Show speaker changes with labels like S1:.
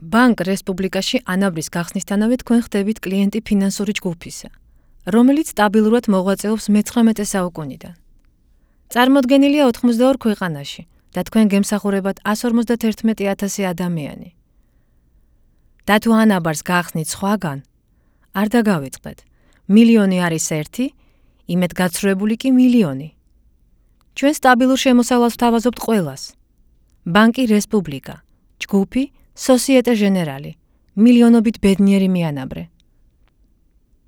S1: ბანკ რესპუბლიკაში ანაბრის გახსნისთანავე თქვენ ხდებით კლიენტი ფინანსური ჯგუფისა, რომელიც სტაბილურად მოღვაწეობს მე-19 საუკუნიდან. წარმოდგენილია 82 ქვეყანაში და თქვენ გემსახურებათ 151,000 ადამიანი. და თუ ანაბარს გახსნით სხვაგან, არ დაგავიწყდეთ. მილიონი არის ერთი, იმედგაცრუებული კი მილიონი. ჩვენ სტაბილურ შემოსავალს ვთავაზობთ ყველას. ბანკი რესპუბლიკა, ჯგუფი, სოსიეტე ჟენერალი, მილიონობით ბედნიერი მიანაბრე.